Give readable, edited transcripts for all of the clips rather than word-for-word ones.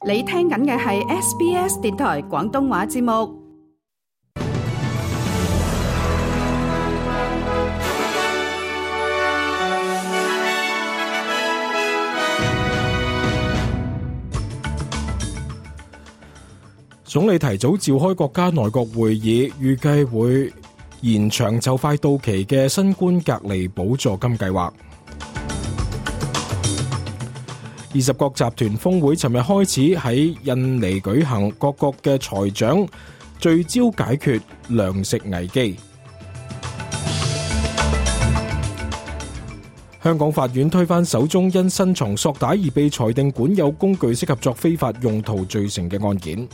你聽緊嘅係 SBS 電台廣東話節目。總理提早召開國家內閣會議，預計會延長就快到期嘅新冠隔離補助金計劃。20國集團峰會尋日開始喺印尼舉行，各國嘅財長聚焦解決糧食危機。香港法院推翻首宗因身藏索帶而被裁定管有工具適合作非法用途罪成嘅案件。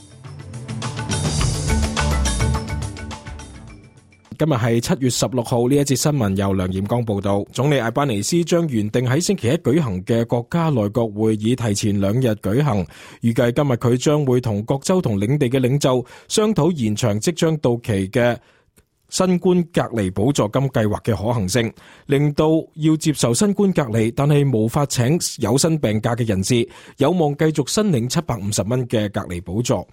今日係7月16號，呢一節新聞由梁彥光報道。總理艾班尼斯將原定喺星期一舉行嘅國家內閣會議提前2日舉行，預計今日佢將會同各州同領地嘅領袖商討延長即將到期嘅新冠隔離補助金計劃嘅可行性，令到要接受新冠隔離但係無法請有薪病假嘅人士有望繼續申領750蚊嘅隔離補助。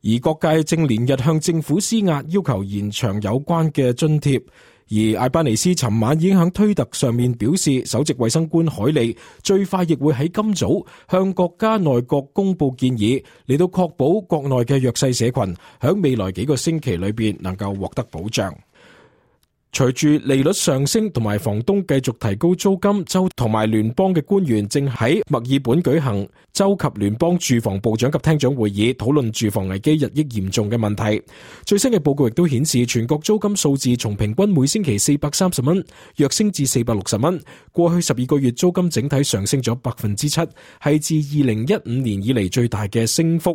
而各界正連日向政府施壓，要求延長有關嘅津貼。而艾班尼斯尋晚已經喺推特上面表示，首席衛生官海利最快亦會喺今早向國家內閣公布建議，嚟到確保國內嘅弱勢社群喺未來幾個星期裏邊能夠獲得保障。隨住利率上升同埋房東繼續提高租金，州同埋聯邦嘅官員正喺墨爾本舉行州及聯邦住房部長及廳長會議，討論住房危機日益嚴重嘅問題。最新嘅報告亦都顯示，全國租金數字從平均每星期430蚊躍升至460蚊。過去12個月租金整體上升咗 7%， 係自2015年以嚟最大嘅升幅。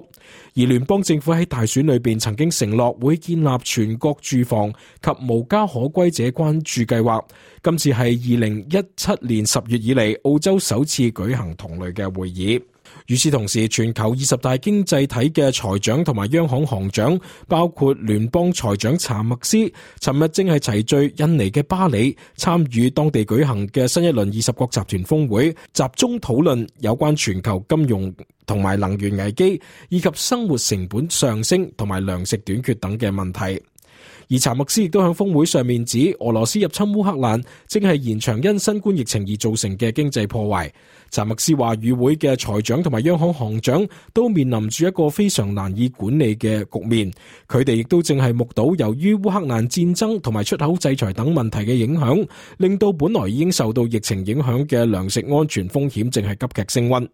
而聯邦政府喺大選裏邊曾經承諾會建立全國住房及無家可歸者關注計劃，今次係2017年10月以嚟澳洲首次舉行同類嘅會議。與此同時，全球20大經濟體嘅財長同埋央行行長，包括聯邦財長查默斯，尋日正係齊聚印尼嘅巴里，參與當地舉行嘅新一輪20國集團峰會，集中討論有關全球金融同埋能源危機，以及生活成本上升同埋糧食短缺等嘅問題。而查默斯亦都喺峰會上面指，俄羅斯入侵烏克蘭正係延長因新冠疫情而造成嘅經濟破壞。查默斯話，與會嘅財長同埋央行行長都面臨住一個非常難以管理嘅局面，佢哋亦都正係目睹由於烏克蘭戰爭同埋出口制裁等問題嘅影響，令到本來已經受到疫情影響嘅糧食安全風險正係急劇升溫。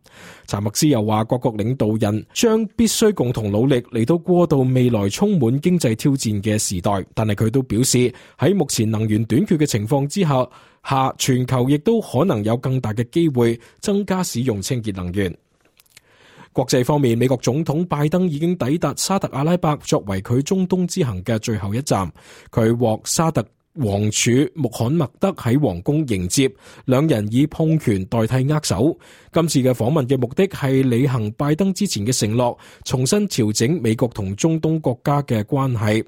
查默斯又話，各國領導人將必須共同努力嚟到過渡未來充滿經濟挑戰嘅時代，但係佢都表示喺目前能源短缺嘅情況之下，全球亦都可能有更大嘅機會增加使用清潔能源。國際方面，美國總統拜登已經抵達沙特阿拉伯，作為佢中東之行嘅最後一站。佢獲沙特王儲穆罕默德喺皇宮迎接，兩人以碰拳代替握手。今次嘅訪問嘅目的係履行拜登之前嘅承諾，重新調整美國同中東國家嘅關係。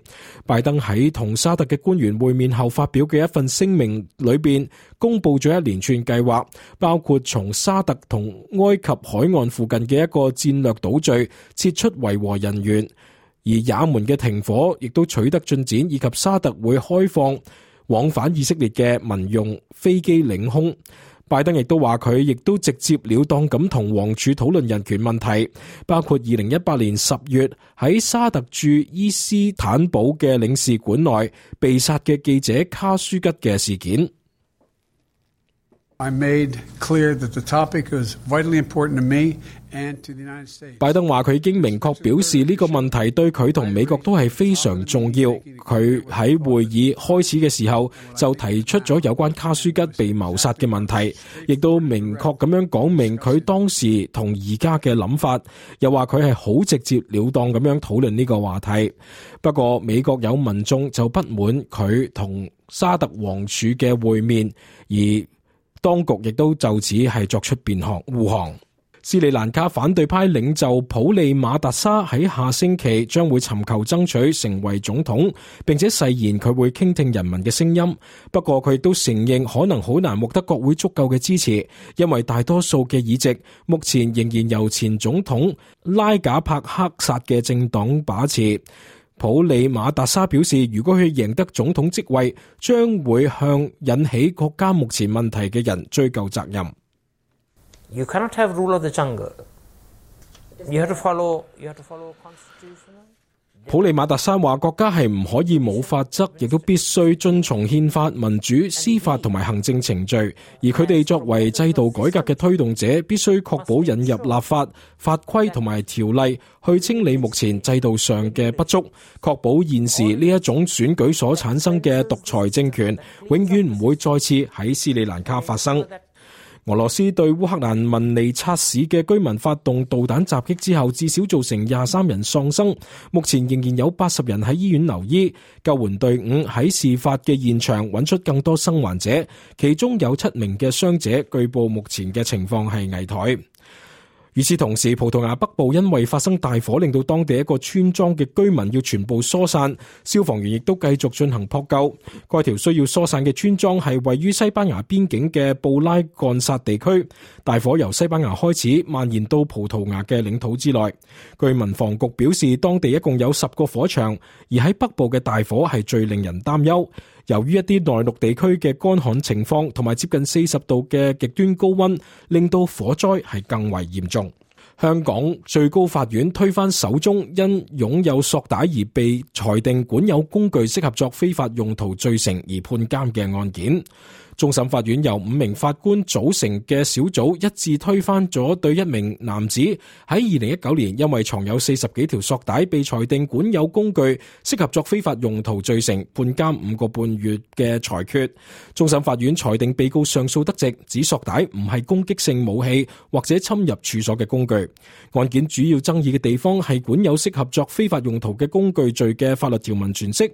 拜登喺同沙特嘅官員會面後發表嘅一份聲明裏邊，公布咗一連串計劃，包括從沙特同埃及海岸附近嘅一個戰略島嶼撤出維和人員。而也門嘅停火亦都取得進展，以及沙特會開放往返以色列嘅民用飛機領空。拜登亦都話佢亦都直接了當咁同王儲討論人權問題，包括2018年10月喺沙特駐伊斯坦堡嘅領事館內被殺嘅記者卡舒吉嘅事件。I made clear that the topic was vitally important to me and to the United States. 拜登話佢已經明確表示呢個問題對佢同美國都係非常重要。佢喺會議開始嘅時候就提出咗有關卡舒吉被謀殺嘅問題，亦都明確咁樣講明佢當時同而家嘅諗法，又話佢係好直接了當咁樣討論呢個話題。不過美國有民眾就不滿佢同沙特王儲嘅會面，而當局亦都就此係作出護航。斯里蘭卡反對派領袖普利馬達沙喺下星期將會尋求爭取成為總統，並且誓言佢會傾聽人民嘅聲音。不過佢亦都承認可能好難獲得國會足夠嘅支持，因為大多數嘅議席目前仍然由前總統拉賈帕克薩嘅政黨把持。普利馬達沙表示，如果佢贏得總統職位，將會向引起國家目前問題嘅人追究責任。You cannot have rule of the jungle. You have to follow constitutional. 普利馬達沙話，國家係唔可以冇法則，亦都必須遵從憲法、民主、司法同埋行政程序。而佢哋作為制度改革嘅推動者，必須確保引入立法、法規同埋條例，去清理目前制度上嘅不足，確保現時呢一種選舉所產生嘅獨裁政權，永遠唔會再次喺斯里蘭卡發生。俄羅斯對烏克蘭文尼察市嘅居民發動導彈襲擊之後，至少造成23人喪生，目前仍然有80人喺醫院留醫。救援隊伍喺事發嘅現場揾出更多生還者，其中有7名嘅傷者，據報目前嘅情況係危殆。與此同時，葡萄牙北部因為發生大火，令到當地一個村莊嘅居民要全部疏散，消防員亦都繼續進行撲救。該條需要疏散嘅村莊係位於西班牙邊境嘅布拉干薩地區，大火由西班牙開始蔓延到葡萄牙嘅領土之內。據民防局表示，當地一共有10個火場，而喺北部嘅大火係最令人擔憂。由於一啲內陸地區嘅乾旱情況同埋接近40度嘅極端高溫，令到火災係更為嚴重。香港最高法院推翻首宗因擁有索帶而被裁定管有工具適合作非法用途罪成而判監嘅案件。終審法院由5名法官組成嘅小組一致推翻咗對一名男子喺2019年因為藏有40幾條索帶被裁定管有工具適合作非法用途罪成，判監5個半月嘅裁決。終審法院裁定被告上訴得直，指索帶唔係攻擊性武器或者侵入處所嘅工具。案件主要爭議嘅地方係管有適合作非法用途嘅工具罪嘅法律條文詮釋。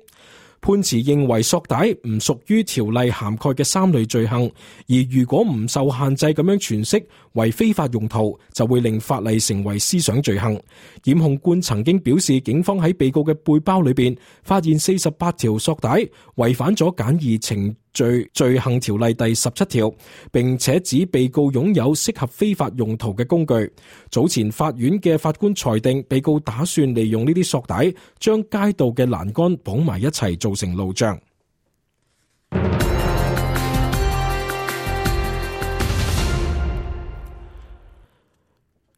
判詞認為索帶唔屬於條例涵蓋嘅3類罪行，而如果唔受限制咁樣詮釋為非法用途，就會令法例成為思想罪行。檢控官曾經表示，警方喺被告嘅背包裏邊發現48條索帶，違反咗簡易程序罪行條例第17條，並且指被告擁有適合非法用途嘅工具。早前法院嘅法官裁定，被告打算利用呢啲索帶將街道嘅欄杆綁埋一齊，造成路障。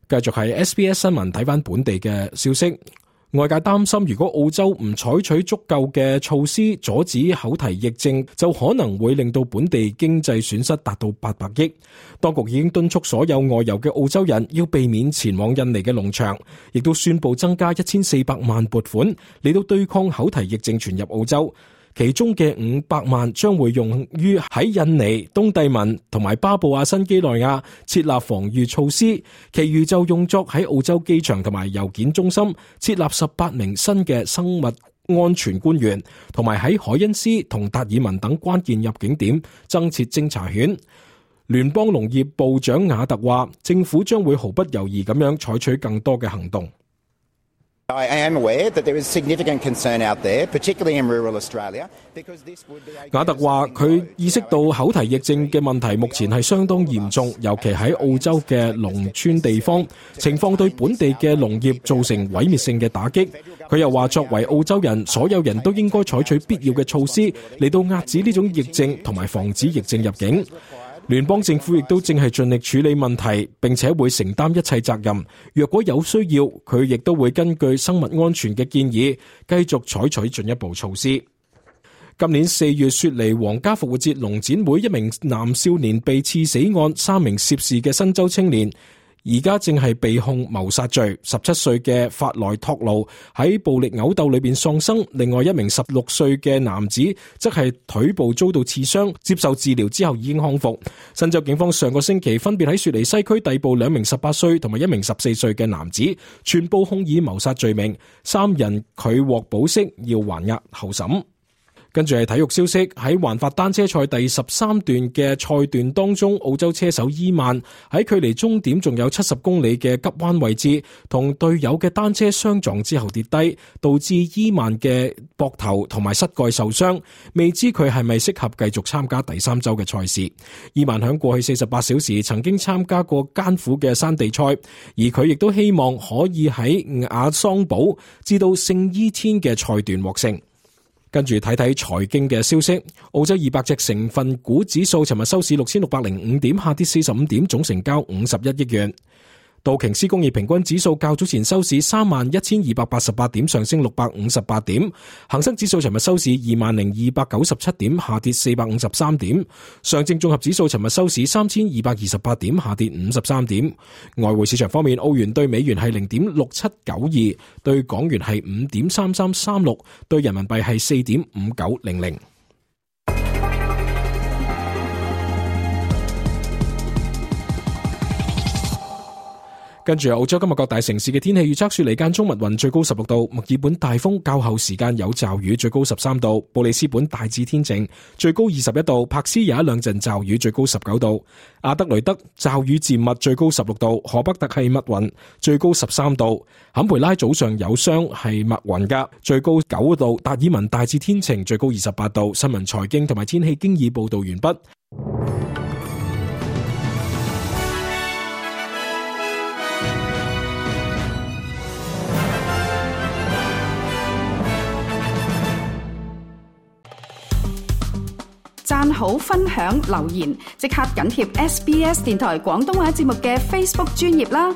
繼續係 SBS 新聞，睇返本地嘅消息。外界擔心，如果澳洲唔採取足夠嘅措施阻止口蹄疫症，就可能會令到本地經濟損失達到800億。當局已經敦促所有外遊嘅澳洲人要避免前往印尼嘅農場，亦都宣布增加1400萬撥款嚟到對抗口蹄疫症傳入澳洲。其中嘅500萬將會用於喺印尼、東帝汶同埋巴布亞新幾內亞設立防禦措施，其餘就用作喺澳洲機場同埋郵件中心設立18名新嘅生物安全官員，同埋喺海恩斯同達爾文等關鍵入境點增設偵查犬。聯邦農業部長雅特話，政府將會毫不猶豫咁樣採取更多嘅行動。I am aware that there is significant concern out there, particularly in rural Australia, because this would be a... 雅特話佢意識到口蹄疫症嘅問題目前係相當嚴重，尤其喺澳洲嘅農村地方，情況對本地嘅農業造成毀滅性嘅打擊。佢又話，作為澳洲人，所有人都應該採取必要嘅措施嚟到遏止呢種疫症同埋防止疫症入境。聯邦政府亦都正係盡力處理問題，並且會承擔一切責任。若果有需要，佢亦都會根據生物安全嘅建議，繼續採取進一步措施。今年4月，雪梨皇家復活節農展會一名男少年被刺死案，3名涉事嘅新州青年而家正係被控謀殺罪。17歲嘅法萊托路喺暴力毆鬥裏邊喪生，另外一名16歲嘅男子則係腿部遭到刺傷，接受治療之後已經康復。新州警方上個星期分別喺雪梨西區逮捕2名18歲同埋1名14歲嘅男子，全部控以謀殺罪名，3人拒獲保釋，要還押候審。跟住係體育消息，喺環法單車賽第13段嘅賽段當中，澳洲車手伊曼喺距離終點仲有70公里嘅急彎位置，同隊友嘅單車相撞之後跌低，導致伊曼嘅膊頭同埋膝蓋受傷，未知佢係咪適合繼續參加第3週嘅賽事。伊曼響過去48小時曾經參加過艱苦嘅山地賽，而佢亦都希望可以喺亞桑堡至到聖伊天嘅賽段獲勝。跟住睇睇財經嘅消息，澳洲200隻成分股指數尋日收市6605點，下跌45點，總成交51億元。道瓊斯工業平均指數較早前收市31,288點，上升658點。恒生指數尋日收市20,297點，下跌453點。上證綜合指數尋日收市3,228點，下跌53點。外匯市場方面，澳元對美元係0.6792，對港元係5.3336，對人民幣係4.5900。跟住澳洲今日各大城市嘅天氣預測，雪梨間中密雲，最高16度；墨爾本大風，較後時間有驟雨，最高13度；布里斯本大致天晴，最高21度；柏斯有一兩陣驟雨，最高19度；阿德雷德驟雨漸密，最高16度；荷北特係密雲，最高13度；坎培拉早上有霜係密雲噶，最高9度；達爾文大致天晴，最高28度。新聞財經同埋天氣經已報道完畢。讚好、分享、留言，即刻緊貼SBS 電台廣東話節目嘅 Facebook 專頁啦！